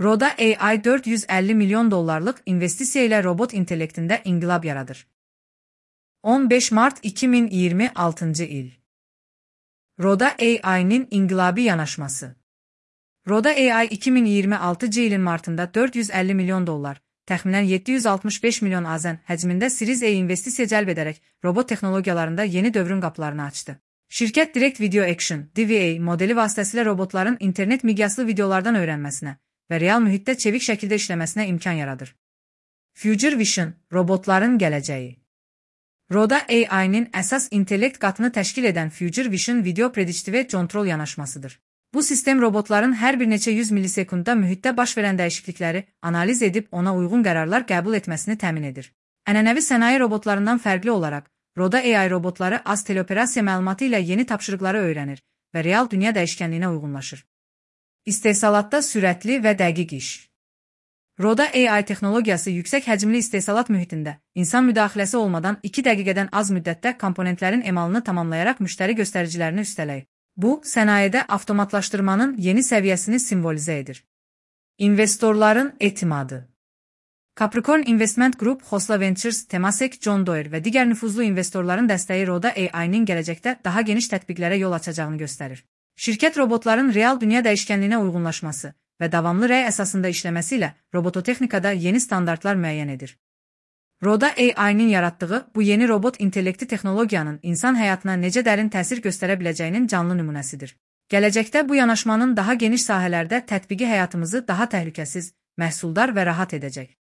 Roda AI 450 milyon dollarlık investisiya ilə robot intellektində inqilab yaradır. 15 Mart 2026 il. Roda AI'nin inqilabi yanaşması. Roda AI 2026 ilin martında 450 milyon dollar, təxminən 765 milyon AZN həcmində Series A investisiya cəlb edərək robot texnologiyalarında yeni dövrün qapılarını açdı. Şirkət Direct Video Action (DVA) modeli vasitəsilə robotların internet miqyaslı videolardan öyrənməsinə və real mühitdə çevik şəkildə işləməsinə imkan yaradır. Future Vision – robotların gələcəyi. Roda AI'nin əsas intellekt qatını təşkil edən Future Vision video predictive control yanaşmasıdır. Bu sistem robotların hər bir neçə 100 millisekundda mühitdə baş verən dəyişiklikləri analiz edib ona uyğun qərarlar qəbul etməsini təmin edir. Ənənəvi sənaye robotlarından fərqli olaraq, Roda AI robotları az teleoperasiya məlumatı ilə yeni tapşırıqları öyrənir və real dünya dəyişkənliyinə uyğunlaşır. İstehsalatda sürətli və dəqiq iş. Roda AI texnologiyası yüksək həcmli istehsalat mühitində, insan müdaxiləsi olmadan 2 dəqiqədən az müddətdə komponentlərin emalını tamamlayaraq müştəri göstəricilərini üstələyir. Bu, sənayedə avtomatlaşdırmanın yeni səviyyəsini simvolizə edir. İnvestorların etimadı. Capricorn Investment Group, Khosla Ventures, Temasek, John Deere və digər nüfuzlu investorların dəstəyi Roda AI-nin gələcəkdə daha geniş tətbiqlərə yol açacağını göstərir. Şirkət robotların real dünya dəyişkənliyinə uyğunlaşması və davamlı rəy əsasında işləməsi ilə robototexnikada yeni standartlar müəyyən edir. Roda AI-nin yaratdığı bu yeni robot intellekti texnologiyanın insan həyatına necə dərin təsir göstərə biləcəyinin canlı nümunəsidir. Gələcəkdə bu yanaşmanın daha geniş sahələrdə tətbiqi həyatımızı daha təhlükəsiz, məhsuldar və rahat edəcək.